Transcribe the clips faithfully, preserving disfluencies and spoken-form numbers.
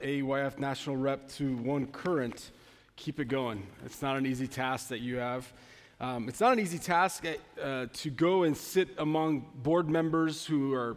A Y F national rep to one current, keep it going. It's not an easy task that you have. Um, it's not an easy task uh, to go and sit among board members who are,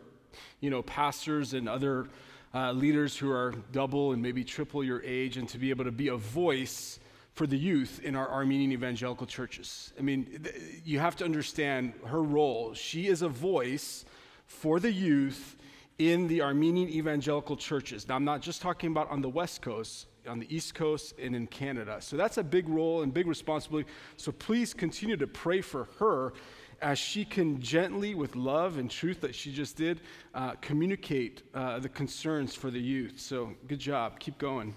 you know, pastors and other uh, leaders who are double and maybe triple your age, and to be able to be a voice for the youth in our Armenian evangelical churches. I mean, th- you have to understand her role. She is a voice for the youth in the Armenian evangelical churches. Now, I'm not just talking about on the West Coast, on the East Coast, and in Canada. So that's a big role and big responsibility. So please continue to pray for her as she can gently, with love and truth that she just did, uh, communicate uh, the concerns for the youth. So good job. Keep going.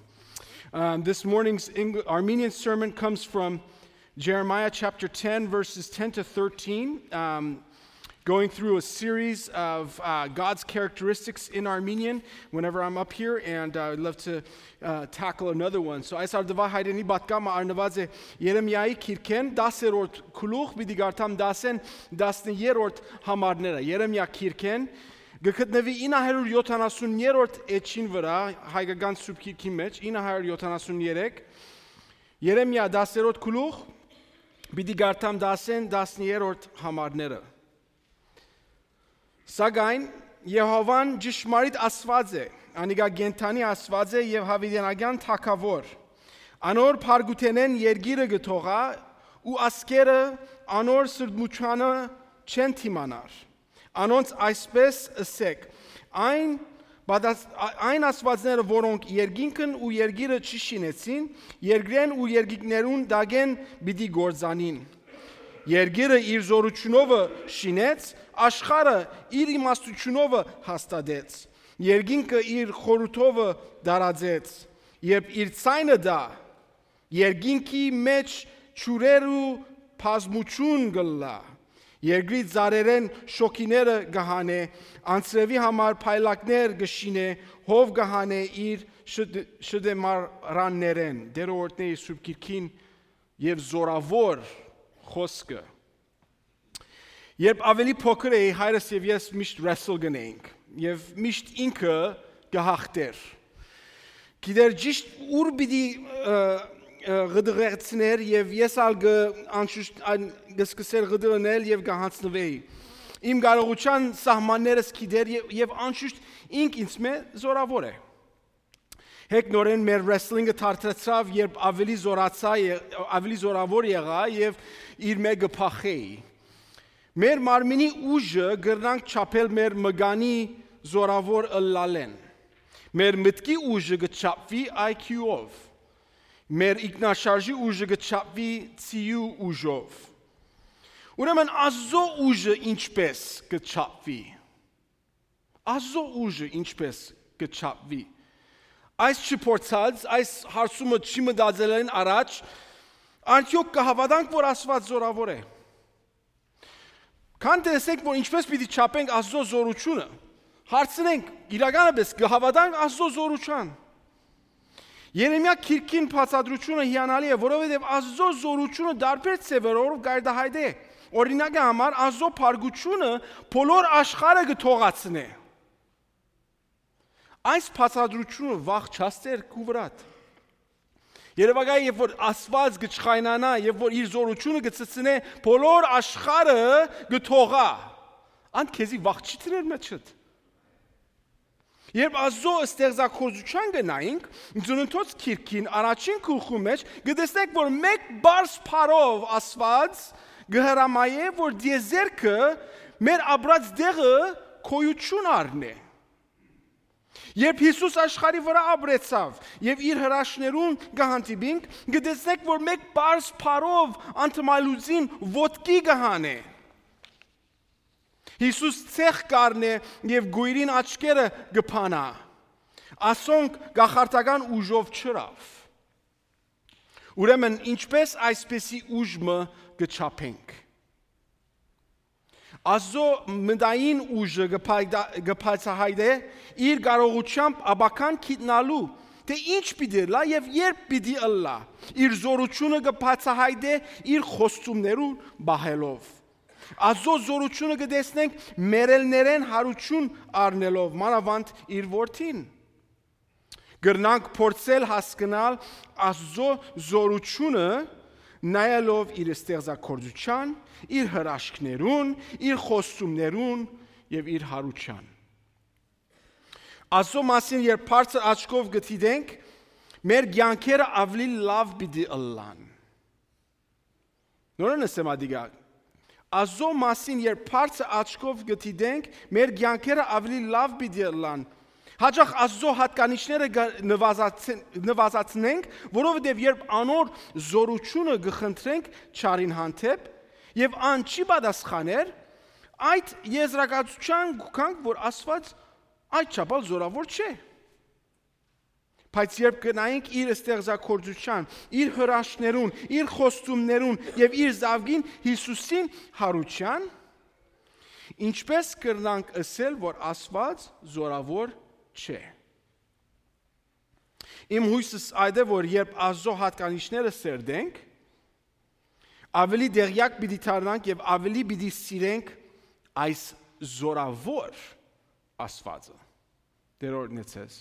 Um, this morning's Eng- Armenian sermon comes from Jeremiah chapter ten, verses ten to thirteen. Um, going through a series of uh, God's characteristics in Armenian whenever I'm up here, and uh, I'd love to uh, tackle another one. So, այս արդուայ հայրենի պատկամը առնուած է Երեմիայի քիրքէն, դասերորդ գլուխ, պիտի կարդամ դասեն, տասներորդ համարները։ Երեմիա քիրքէն, կը գտնուի ինը հարիւր յոթանասուներորդ էջին վրայ, հայկական սուրբ քիրքին մէջ, ինը հարիւր յոթանասուներեք, Երեմիա դասերորդ գլուխ, պիտի կարդամ դասեն, տասներորդ համարները։ Սակայն Եհովան ճշմարիտ Աստուած է, անիկա կենդանի Աստուած է եւ յաւիտենական թագաւոր։ Անոր փառքութենէն երկիրը կը թողայ ու ազգերը անոր սրբմութեանը չեն դիմանար։ Անոնց այսպէս ըսէք. այն, պատաս, ա- այն Աստուածները, որոնք երկինքն ու երկիրը չշինեցին, երկրէն ու երկինքներուն տակէն պիտի կործանին։ Երկիրը իր զորութիւնովը շինեց, աշխարհը իր իմաստութիւնովը հաստատեց, երկինքը իր խորհուրդովը դարածեց, երբ իր ցայնը տայ, երկինքի մէջ ջուրերու բազմութիւն կ'ըլլայ, երկրի ծառերէն շոգիները կը հանէ, անձրեւի համար փայլակներ կը շինէ, հով կը հանէ իր շտ- շտեմարաններէն։ Տէրը օրհնէ իր սուրբ քիրքին եւ զորաւոր խօսքը։ Երբ աւելի փոքր էի, հայրս եւ ես միշտ wrestle կ'ընէինք եւ միշտ ինքը կը յաղթէր։ Գիտեր ճիշտ ուր պիտի ը, ը, ղդղեցներ եւ ես ալ կը անշուշտ այն կը սկսեր ղդղնել եւ կը յանձնուէի։ Իմ կարողութեան սահմաններս գիտեր եւ, եւ անշուշտ ինք ինձ մէ զորաւոր է։ Հեկ նորէն մեր wrestling-ը թարթրացաւ, երբ աւելի զորացայ, ե- աւելի զորաւոր եղայ եւ իր մէ կը փախէի։ Մեր մարմինի ուժը կրնանք չափել մեր մկանի զորաւոր ըլլալէն։ Մեր մտքի ուժը կը չափուի I Q-ով։ Մեր ինքնաշարժի ուժը կը չափուի ցիու ուժով։ Ուրեմն Աստուծոյ ուժը ինչպէս կը չափուի։ Աստուծոյ ուժը ինչպէս կը չափուի։ Այս չփորձած, այս հարցումը չմտածելէն առաջ, արդեօք կը հաւատանք, որ Աստուած զորաւոր է։ Քան տեսնենք, որ ինչպէս պիտի չափենք Աստուծոյ զորութիւնը, հարցնենք, իրականապէս կը հաւատանք Աստուծոյ զորութեան։ Երեմիա քիրքին բացատրութիւնը հիանալի է, որովհետեւ Աստուծոյ զորութիւնը տարբեր ձեւերով կ'արտայայտէ։ Օրինակի համար, Աստուծոյ փառքութիւնը բոլոր աշխարհը կը թողացնէ։ Այս բացատրութիւնը վաղ չասեր քու վրադ։ Երեւակայ, երբ որ Աստուած կը չխայնանայ, երբ որ իր զորութիւնը կը ցցնէ, բոլոր աշխարհը կը թողայ։ Անդ քեզի վաղ չի դրեր մեջդ։ Երբ Աստուծոյ ստեղծագործութեան կը նայինք, Ծննդոց քիրքին առաջին գլխու մէջ կը տեսնենք, որ մէկ բարձ փառով Աստուած կը հրամայէ, որ դիեզերքը մեր ապրած տեղը գոյութիւն առնէ։ Երբ Յիսուս աշխարհի վրայ ապրեցաւ եւ իր հրաշներուն կը հանդիպինք, կը տեսնենք, որ մէկ պարզ փառով անդմալուծին ոտքի կը հանէ։ Յիսուս ցեխ կ'առնէ եւ գոյրին աչքերը կը փանայ։ Ասոնք կախարդական ուժով չըրաւ։ Ուրեմն ինչպէս այսպիսի ուժ մը կը չափենք։ Աստուծոյ մտային ուժը կը փայտա- կը բացահայտէ իր կարողութեամբ ապագան գիտնալու, թէ ինչ պիտի ըլլայ եւ երբ պիտի ըլլայ։ Իր զորութիւնը կը բացահայտէ իր խոստումներուն պահելով։ Աստուծոյ զորութիւնը կը տեսնենք մեռելներէն յարութիւն առնելով, մանաւանդ իր որդին։ Կրնանք փորձել հասկնալ Աստուծոյ զօրութիւնը նայելով իր ստեղծագործութեան, իր հրաշքներուն, իր խոստումներուն եւ իր յարութեան։ Աստուծոյ մասին երբ բարձր աչքով կը դիտենք, մեր կեանքերը աւելի լաւ պիտի ըլլան։ Նորէն ըսեմ ադիկա։ Աստուծոյ մասին երբ բարձր աչքով կը դիտենք, մեր կեանքերը աւելի լաւ պիտի ըլլան։ Յաճախ Աստուծոյ յատկանիշները կը նվազացն-, նվազացնենք, որովհետեւ երբ անոր զօրութիւնը կը խնդրենք չարին հանդէպ, եւ ան չի պատասխաներ, այդ եզրակացութեան կու գանք, որ Աստուած այդ չափ ալ զօրաւոր չէ։ Բայց երբ կնայենք իր ստեղծագործութեան, իր հրաշքներուն, իր խոստումներուն եւ իր զաւկին Յիսուսին յարութեան, ինչպէս կրնանք ըսել, որ Աստուած զօրաւոր չէ։ Իմ յոյսս այդ է, որ երբ Աստուծոյ յատկանիշները սերտենք, աւելի տեղեակ պիտի դառնանք եւ աւելի պիտի սիրենք այս զօրաւոր Աստուածը։ Տէր օրհնեցես։